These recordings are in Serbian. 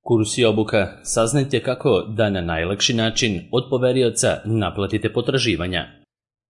Kurs i obuka, saznajte kako da na najlakši način od poverioca naplatite potraživanja.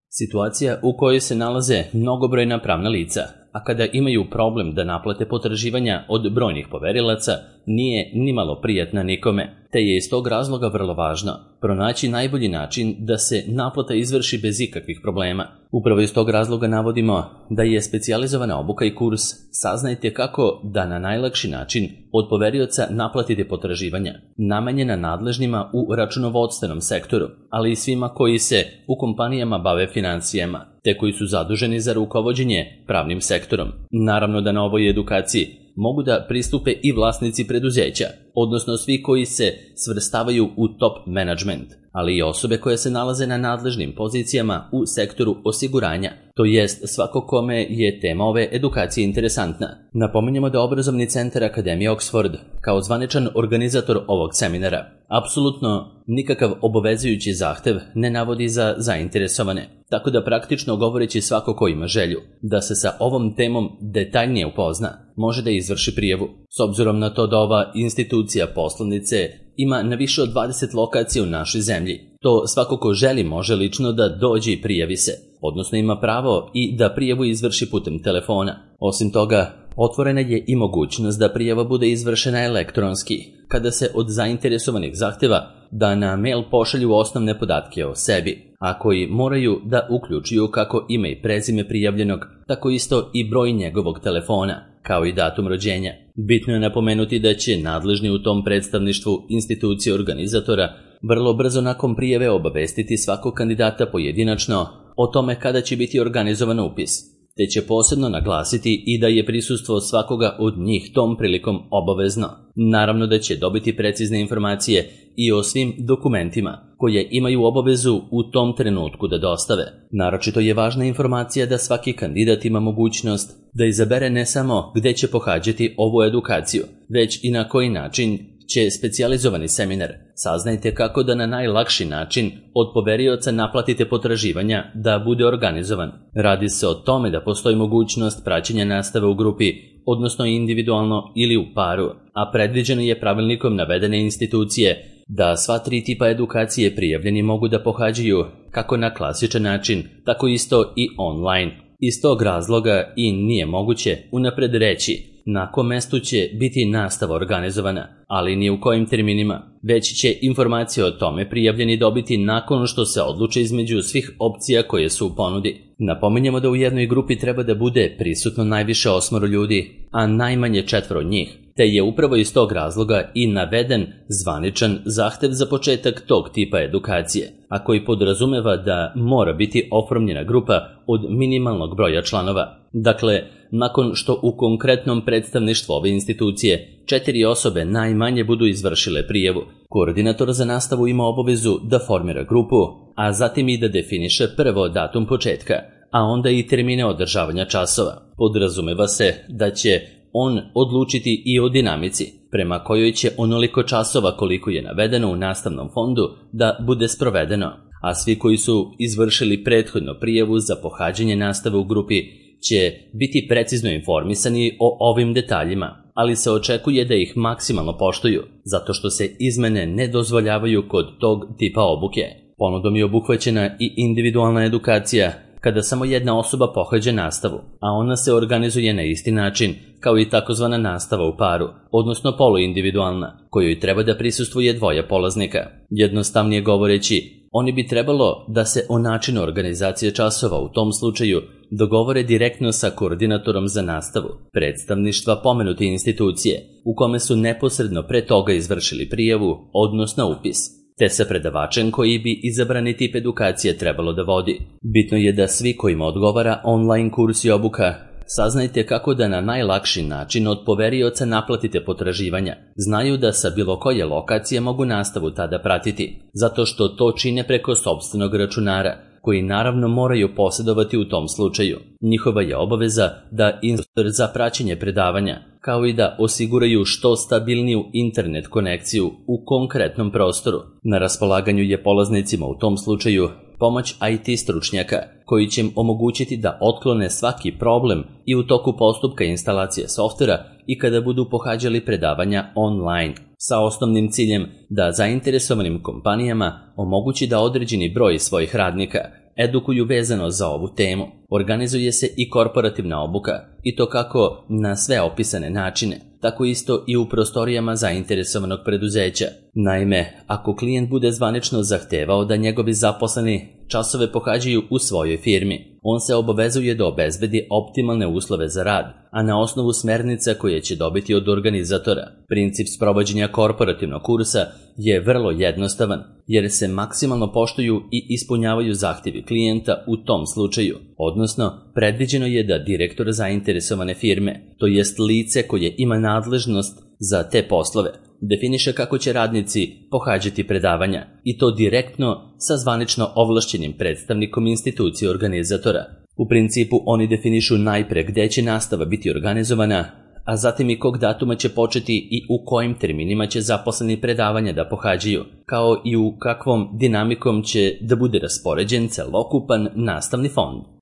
Situacija u kojoj se nalaze mnogobrojna pravna lica, a kada imaju problem da naplate potraživanja od brojnih poverilaca, nije nimalo prijatna nikome, te je iz tog razloga vrlo važno pronaći najbolji način da se naplata izvrši bez ikakvih problema. Upravo iz tog razloga navodimo da je specijalizovana obuka i kurs Saznajte kako da na najlakši način od poverioca naplatite potraživanja, namenjena nadležnima u računovodstvenom sektoru, ali i svima koji se u kompanijama bave financijama, te koji su zaduženi za rukovođenje pravnim sektorom. Naravno da na ovoj edukaciji mogu da pristupe i vlasnici preduzeća, odnosno svi koji se svrstavaju u top management, ali i osobe koje se nalaze na nadležnim pozicijama u sektoru osiguranja, to jest svako kome je tema ove edukacije interesantna. Napominjemo da obrazovni centar Akademije Oxford, kao zvaničan organizator ovog seminara, apsolutno nikakav obavezujući zahtev ne navodi za zainteresovane, tako da praktično govoreći svako ko ima želju da se sa ovom temom detaljnije upozna, može da izvrši prijavu. S obzirom na to da ova institucija poslovnice ima na više od 20 lokacija u našoj zemlji, to svako ko želi može lično da dođe i prijavi se, odnosno ima pravo i da prijavu izvrši putem telefona. Osim toga, otvorena je i mogućnost da prijava bude izvršena elektronski, kada se od zainteresovanih zahteva da na mail pošalju osnovne podatke o sebi, a koji moraju da uključuju kako ime i prezime prijavljenog, tako isto i broj njegovog telefona, kao i datum rođenja. Bitno je napomenuti da će nadležni u tom predstavništvu institucije organizatora vrlo brzo nakon prijave obavestiti svakog kandidata pojedinačno o tome kada će biti organizovan upis, te će posebno naglasiti i da je prisustvo svakoga od njih tom prilikom obavezno. Naravno da će dobiti precizne informacije i o svim dokumentima koje imaju obavezu u tom trenutku da dostave. Naročito je važna informacija da svaki kandidat ima mogućnost da izabere ne samo gde će pohađati ovu edukaciju, već i na koji način će specijalizovani seminar Saznajte kako da na najlakši način od poverioca naplatite potraživanja da bude organizovan. Radi se o tome da postoji mogućnost praćenja nastave u grupi, odnosno individualno ili u paru, a predviđeno je pravilnikom navedene institucije da sva 3 tipa edukacije prijavljeni mogu da pohađaju kako na klasičan način, tako isto i online. Iz tog razloga i nije moguće unapred reći na kom mestu će biti nastava organizovana, ali ni u kojim terminima, već će informacije o tome prijavljeni dobiti nakon što se odluče između svih opcija koje su u ponudi. Napominjemo da u jednoj grupi treba da bude prisutno najviše 8 ljudi, a najmanje 4 njih, te je upravo iz tog razloga i naveden zvaničan zahtev za početak tog tipa edukacije, a koji podrazumeva da mora biti oformljena grupa od minimalnog broja članova. Dakle, nakon što u konkretnom predstavništvu ove institucije 4 osobe najmanje budu izvršile prijavu, koordinator za nastavu ima obavezu da formira grupu, a zatim i da definiše prvo datum početka, a onda i termine održavanja časova. Podrazumeva se da će on odlučiti i o dinamici, prema kojoj će onoliko časova koliko je navedeno u nastavnom fondu da bude sprovedeno, a svi koji su izvršili prethodno prijavu za pohađanje nastave u grupi će biti precizno informisani o ovim detaljima, ali se očekuje da ih maksimalno poštuju, zato što se izmene ne dozvoljavaju kod tog tipa obuke. Ponudom je obuhvaćena i individualna edukacija, kada samo jedna osoba pohađa nastavu, a ona se organizuje na isti način kao i takozvana nastava u paru, odnosno poluindividualna, kojoj treba da prisustvuje 2 polaznika. Jednostavnije govoreći, oni bi trebalo da se o načinu organizacije časova u tom slučaju dogovore direktno sa koordinatorom za nastavu predstavništva pomenute institucije, u kome su neposredno pre toga izvršili prijavu, odnosno upis, te sa predavačem koji bi izabrani tip edukacije trebalo da vodi. Bitno je da svi kojima odgovara online kurs i obuka Saznajte kako da na najlakši način od poverioca naplatite potraživanja. Znaju da sa bilo koje lokacije mogu nastavu tada pratiti, zato što to čine preko sopstvenog računara, koji naravno moraju posjedovati u tom slučaju. Njihova je obaveza da instruktor za praćenje predavanja, kao i da osiguraju što stabilniju internet konekciju u konkretnom prostoru. Na raspolaganju je polaznicima u tom slučaju pomoć IT stručnjaka koji će im omogućiti da otklone svaki problem i u toku postupka instalacije softvera i kada budu pohađali predavanja online, sa osnovnim ciljem da zainteresovanim kompanijama omogući da određeni broj svojih radnika edukuju vezano za ovu temu. Organizuje se i korporativna obuka, i to kako na sve opisane načine, tako isto i u prostorijama zainteresovanog preduzeća. Naime, ako klijent bude zvanično zahtevao da njegovi zaposleni časove pohađaju u svojoj firmi, on se obavezuje da obezbedi optimalne uslove za rad, a na osnovu smernica koje će dobiti od organizatora. Princip sprovođenja korporativnog kursa je vrlo jednostavan, jer se maksimalno poštuju i ispunjavaju zahtjevi klijenta u tom slučaju, odnosno predviđeno je da direktor zainteresovane firme, to jest lice koje ima nadležnost za te poslove, definiše kako će radnici pohađati predavanja, i to direktno sa zvanično ovlašćenim predstavnikom institucije organizatora. U principu oni definišu najpre gde će nastava biti organizovana, a zatim i kog datuma će početi i u kojim terminima će zaposleni predavanja da pohađaju, kao i u kakvom dinamikom će da bude raspoređen celokupan nastavni fond.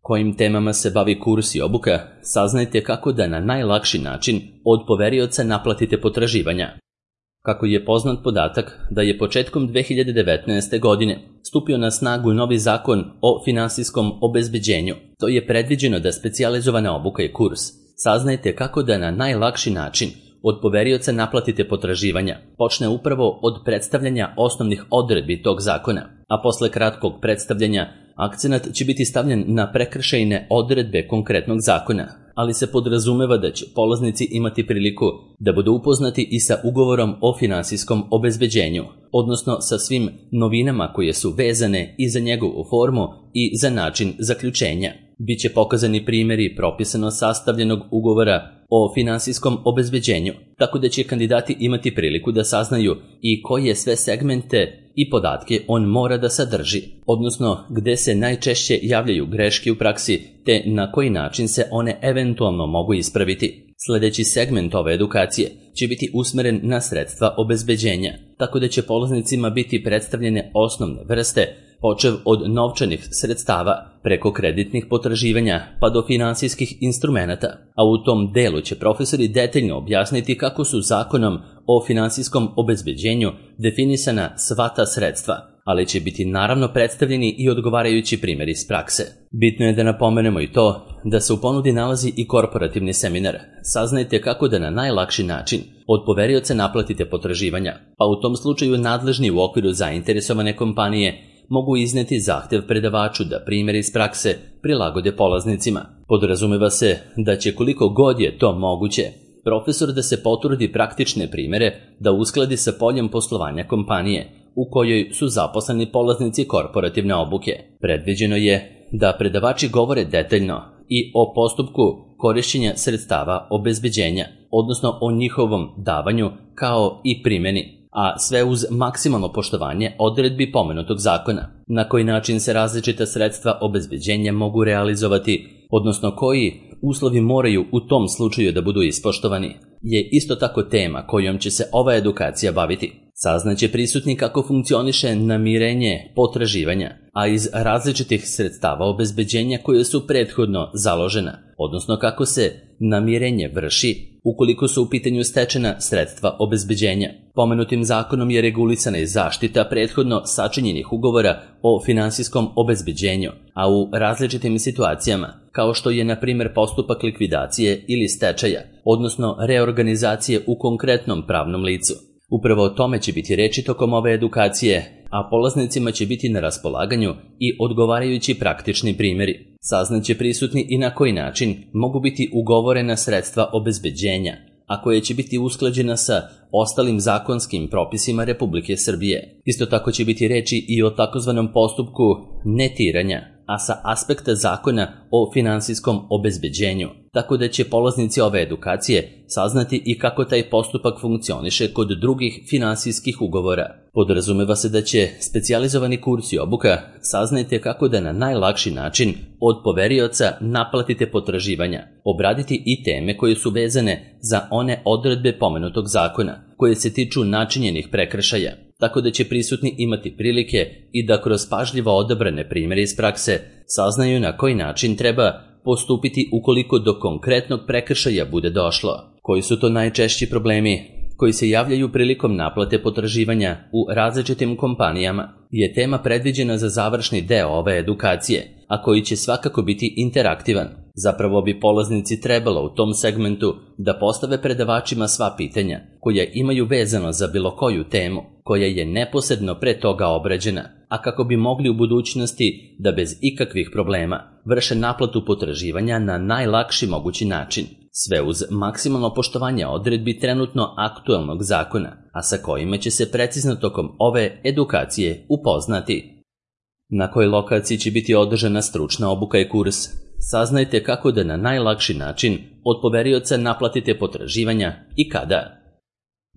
Kojim temama se bavi kurs i obuka, saznajte kako da na najlakši način od poverioca naplatite potraživanja. Kako je poznat podatak da je početkom 2019. godine stupio na snagu novi zakon o finansijskom obezbeđenju, to je predviđeno da specijalizovana obuka i kurs. Saznajte kako da na najlakši način od poverioca naplatite potraživanja počne upravo od predstavljanja osnovnih odredbi tog zakona, a posle kratkog predstavljanja akcenat će biti stavljen na prekršajne odredbe konkretnog zakona, ali se podrazumeva da će polaznici imati priliku da budu upoznati i sa ugovorom o finansijskom obezbeđenju, odnosno sa svim novinama koje su vezane i za njegovu formu i za način zaključenja. Biće pokazani primjeri propisano sastavljenog ugovora o finansijskom obezbeđenju, tako da će kandidati imati priliku da saznaju i koje sve segmente i podatke on mora da sadrži, odnosno gde se najčešće javljaju greške u praksi te na koji način se one eventualno mogu ispraviti. Sljedeći segment ove edukacije će biti usmeren na sredstva obezbeđenja, tako da će polaznicima biti predstavljene osnovne vrste, počev od novčanih sredstava preko kreditnih potraživanja pa do finansijskih instrumenata, a u tom delu će profesori detaljno objasniti kako su zakonom o finansijskom obezbeđenju definisana sva ta sredstva, ali će biti naravno predstavljeni i odgovarajući primjeri iz prakse. Bitno je da napomenemo i to da se u ponudi nalazi i korporativni seminar. Saznajte kako da na najlakši način od poverioca naplatite potraživanja, pa u tom slučaju nadležni u okviru zainteresovane kompanije mogu izneti zahtev predavaču da primjer iz prakse prilagode polaznicima. Podrazumeva se da će koliko god je to moguće profesor da se potrudi praktične primjere da uskladi sa poljem poslovanja kompanije u kojoj su zaposleni polaznici korporativne obuke. Predviđeno je da predavači govore detaljno i o postupku korišćenja sredstava obezbeđenja, odnosno o njihovom davanju kao i primjeni, a sve uz maksimalno poštovanje odredbi pomenutog zakona. Na koji način se različita sredstva obezbeđenja mogu realizovati, odnosno koji uslovi moraju u tom slučaju da budu ispoštovani, je isto tako tema kojom će se ova edukacija baviti. Saznaće prisutni kako funkcioniše namirenje potraživanja, a iz različitih sredstava obezbeđenja koje su prethodno založena, odnosno kako se namirenje vrši ukoliko su u pitanju stečena sredstva obezbeđenja. Pomenutim zakonom je regulisana i zaštita prethodno sačinjenih ugovora o finansijskom obezbeđenju, a u različitim situacijama, kao što je na primjer postupak likvidacije ili stečaja, odnosno reorganizacije u konkretnom pravnom licu. Upravo o tome će biti reči tokom ove edukacije, a polaznicima će biti na raspolaganju i odgovarajući praktični primjeri. Saznaće prisutni i na koji način mogu biti ugovorena sredstva obezbeđenja, a koje će biti usklađena sa ostalim zakonskim propisima Republike Srbije. Isto tako će biti reči i o takozvanom postupku netiranja, a sa aspekta zakona o finansijskom obezbeđenju, tako da će polaznici ove edukacije saznati i kako taj postupak funkcioniše kod drugih finansijskih ugovora. Podrazumeva se da će specijalizovani kurs i obuka saznajte kako da na najlakši način od poverioca naplatite potraživanja, obraditi i teme koje su vezane za one odredbe pomenutog zakona, koje se tiču načinjenih prekršaja, tako da će prisutni imati prilike i da kroz pažljivo odabrane primjere iz prakse saznaju na koji način treba postupiti ukoliko do konkretnog prekršaja bude došlo. Koji su to najčešći problemi koji se javljaju prilikom naplate potraživanja u različitim kompanijama je tema predviđena za završni deo ove edukacije, a koji će svakako biti interaktivan. Zapravo bi polaznici trebalo u tom segmentu da postave predavačima sva pitanja koja imaju vezano za bilo koju temu koja je neposredno pre toga obrađena, a kako bi mogli u budućnosti da bez ikakvih problema vrše naplatu potraživanja na najlakši mogući način, sve uz maksimalno poštovanje odredbi trenutno aktuelnog zakona, a sa kojima će se precizno tokom ove edukacije upoznati. Na kojoj lokaciji će biti održana stručna obuka i kurs? Saznajte kako da na najlakši način od poverioca naplatite potraživanja i kada.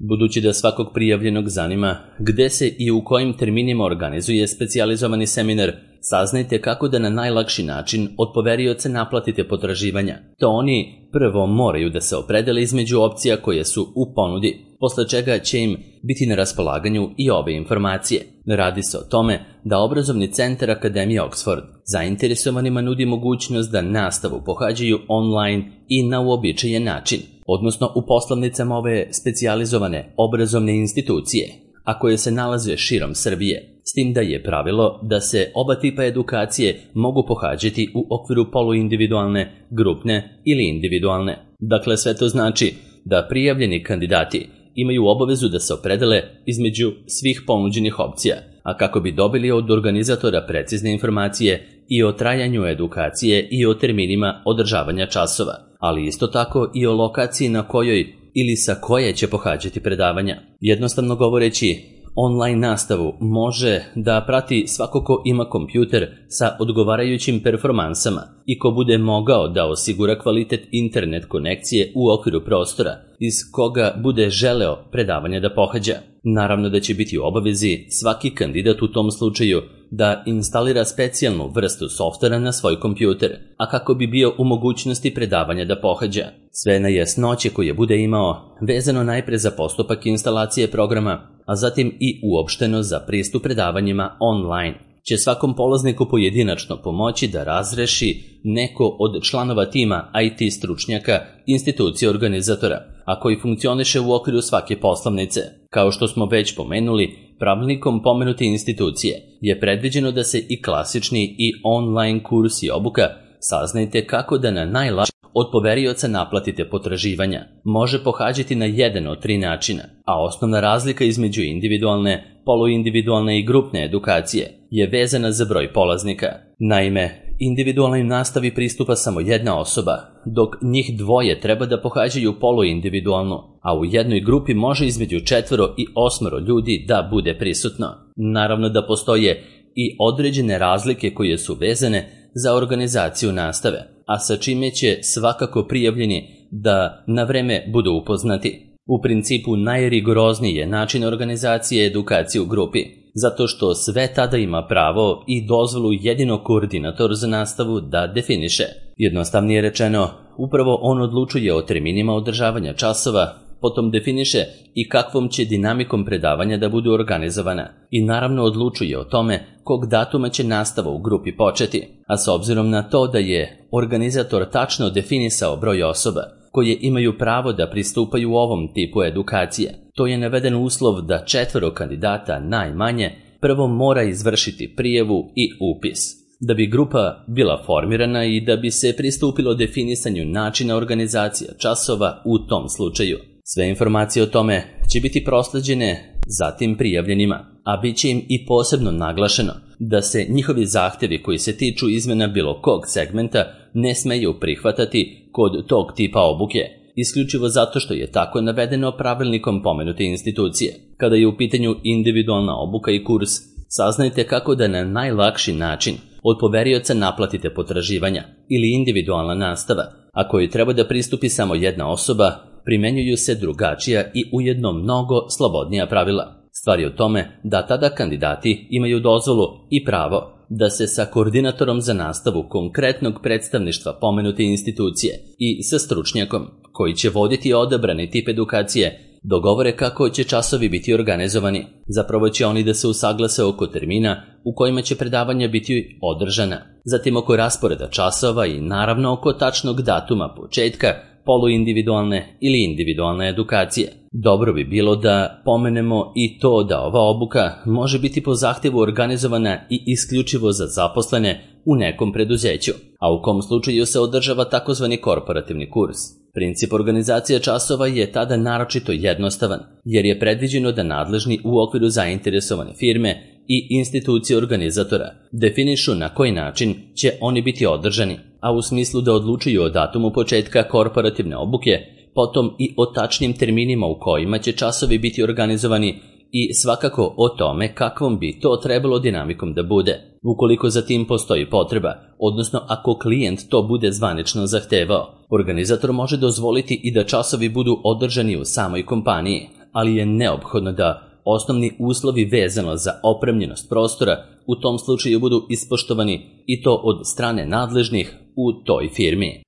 Budući da svakog prijavljenog zanima gde se i u kojim terminima organizuje specijalizovani seminar, saznajte kako da na najlakši način od poverioca naplatite potraživanja. To oni prvo moraju da se opredele između opcija koje su u ponudi, posle čega će im biti na raspolaganju i ove informacije. Radi se o tome da obrazovni centar Akademije Oxford zainteresovanima nudi mogućnost da nastavu pohađaju online i na uobičajen način, odnosno u poslovnicama ove specijalizovane obrazovne institucije, a koje se nalaze širom Srbije, s tim da je pravilo da se oba tipa edukacije mogu pohađati u okviru poluindividualne, grupne ili individualne. Dakle, sve to znači da prijavljeni kandidati imaju obavezu da se opredele između svih ponuđenih opcija, a kako bi dobili od organizatora precizne informacije i o trajanju edukacije i o terminima održavanja časova, ali isto tako i o lokaciji na kojoj ili sa koje će pohađati predavanja. Jednostavno govoreći, online nastavu može da prati svako ko ima kompjuter sa odgovarajućim performansama i ko bude mogao da osigura kvalitet internet konekcije u okviru prostora iz koga bude želeo predavanje da pohađa. Naravno da će biti u obavezi svaki kandidat u tom slučaju da instalira specijalnu vrstu softvera na svoj kompjuter, a kako bi bio u mogućnosti predavanja da pohađa. Sve nejasnoće koje bude imao vezano najpre za postupak instalacije programa, a zatim i uopšteno za pristup predavanjima online, će svakom polazniku pojedinačno pomoći da razreši neko od članova tima IT stručnjaka institucije organizatora, a koji funkcioniše u okviru svake poslovnice. Kao što smo već pomenuli, pravilnikom pomenute institucije je predviđeno da se i klasični i online kurs i obuka saznajte kako da na najlakši od poverioca naplatite potraživanja može pohađati na jedan od 3 načina, a osnovna razlika između individualne, poluindividualne i grupne edukacije je vezana za broj polaznika. Naime, individualnoj nastavi pristupa samo jedna osoba, dok njih dvoje treba da pohađaju poluindividualnu, a u jednoj grupi može između 4 i 8 ljudi da bude prisutno. Naravno da postoje i određene razlike koje su vezane za organizaciju nastave, a sa čime će svakako prijavljeni da na vreme budu upoznati. U principu najrigorozniji je način organizacije edukacije u grupi, zato što sve tada ima pravo i dozvolu jedino koordinator za nastavu da definiše. Jednostavnije rečeno, upravo on odlučuje o terminima održavanja časova, potom definiše i kakvom će dinamikom predavanja da budu organizovana i naravno odlučuje o tome kog datuma će nastava u grupi početi, a s obzirom na to da je organizator tačno definisao broj osoba koje imaju pravo da pristupaju u ovom tipu edukacije, to je naveden uslov da 4 kandidata najmanje prvo mora izvršiti prijavu i upis, da bi grupa bila formirana i da bi se pristupilo definisanju načina organizacije časova u tom slučaju. Sve informacije o tome će biti prosleđene zatim prijavljenima, a bit će im i posebno naglašeno da se njihovi zahtjevi koji se tiču izmena bilo kog segmenta ne smeju prihvatati kod tog tipa obuke, isključivo zato što je tako navedeno pravilnikom pomenute institucije. Kada je u pitanju individualna obuka i kurs, saznajte kako da na najlakši način od poverioca naplatite potraživanja ili individualna nastava, a koji treba da pristupi samo jedna osoba, primenjuju se drugačija i ujedno mnogo slobodnija pravila. Stvar je u tome da tada kandidati imaju dozvolu i pravo da se sa koordinatorom za nastavu konkretnog predstavništva pomenute institucije i sa stručnjakom koji će voditi odabrani tip edukacije dogovore kako će časovi biti organizovani. Zapravo će oni da se usaglase oko termina u kojima će predavanja biti održana, zatim oko rasporeda časova i naravno oko tačnog datuma početka poluindividualne ili individualne edukacije. Dobro bi bilo da pomenemo i to da ova obuka može biti po zahtevu organizovana i isključivo za zaposlene u nekom preduzeću, a u kom slučaju se održava takozvani korporativni kurs. Princip organizacije časova je tada naročito jednostavan, jer je predviđeno da nadležni u okviru zainteresovane firme i institucije organizatora definišu na koji način će oni biti održani, a u smislu da odlučuju o datumu početka korporativne obuke, potom i o tačnim terminima u kojima će časovi biti organizovani i svakako o tome kakvom bi to trebalo dinamikom da bude. Ukoliko za tim postoji potreba, odnosno ako klijent to bude zvanično zahtevao, organizator može dozvoliti i da časovi budu održani u samoj kompaniji, ali je neophodno da osnovni uslovi vezano za opremljenost prostora u tom slučaju budu ispoštovani i to od strane nadležnih u toj firmi.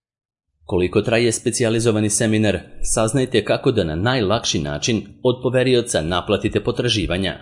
Koliko traje specijalizovani seminar, saznajte kako da na najlakši način od poverioca naplatite potraživanja.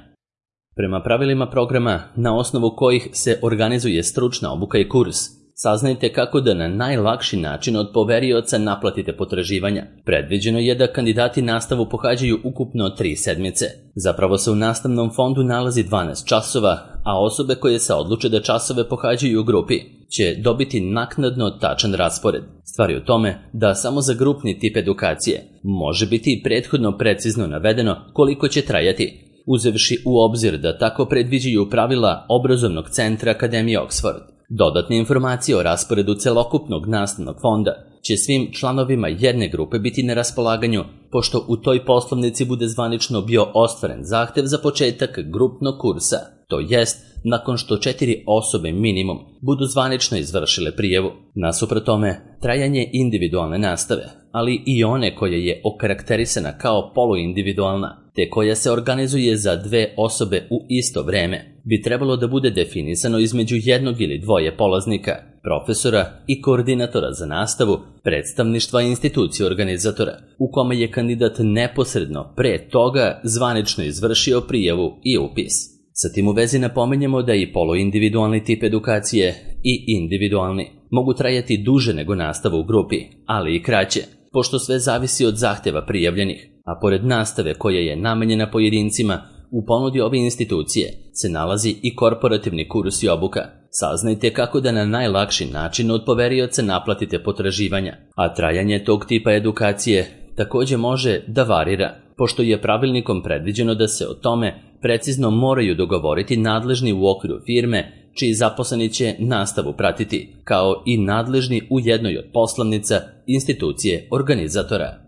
Prema pravilima programa na osnovu kojih se organizuje stručna obuka i kurs, saznajte kako da na najlakši način od poverioca naplatite potraživanja. Predviđeno je da kandidati nastavu pohađaju ukupno 3 sedmice. Zapravo se u nastavnom fondu nalazi 12 časova, a osobe koje se odluče da časove pohađaju u grupi će dobiti naknadno tačan raspored. Stvar je u tome da samo za grupni tip edukacije može biti prethodno precizno navedeno koliko će trajati, uzevši u obzir da tako predviđaju pravila obrazovnog centra Akademije Oxford. Dodatne informacije o rasporedu celokupnog nastavnog fonda će svim članovima jedne grupe biti na raspolaganju, pošto u toj poslovnici bude zvanično bio ostvaren zahtev za početak grupnog kursa, to jest nakon što 4 osobe minimum budu zvanično izvršile prijavu. Nasuprot tome, trajanje individualne nastave, ali i one koja je okarakterisana kao poluindividualna, te koja se organizuje za 2 osobe u isto vreme, bi trebalo da bude definisano između jednog ili dvoje polaznika, profesora i koordinatora za nastavu, predstavništva institucije organizatora, u kome je kandidat neposredno pre toga zvanično izvršio prijavu i upis. Sa tim u vezi napominjemo da i poluindividualni tip edukacije i individualni mogu trajati duže nego nastava u grupi, ali i kraće, pošto sve zavisi od zahteva prijavljenih, a pored nastave koja je namenjena pojedincima, u ponudi ove institucije se nalazi i korporativni kurs i obuka. Saznajte kako da na najlakši način od poverioca naplatite potraživanja, a trajanje tog tipa edukacije takođe može da varira, pošto je pravilnikom predviđeno da se o tome precizno moraju dogovoriti nadležni u okviru firme čiji zaposleni će nastavu pratiti, kao i nadležni u jednoj od poslovnica institucije organizatora.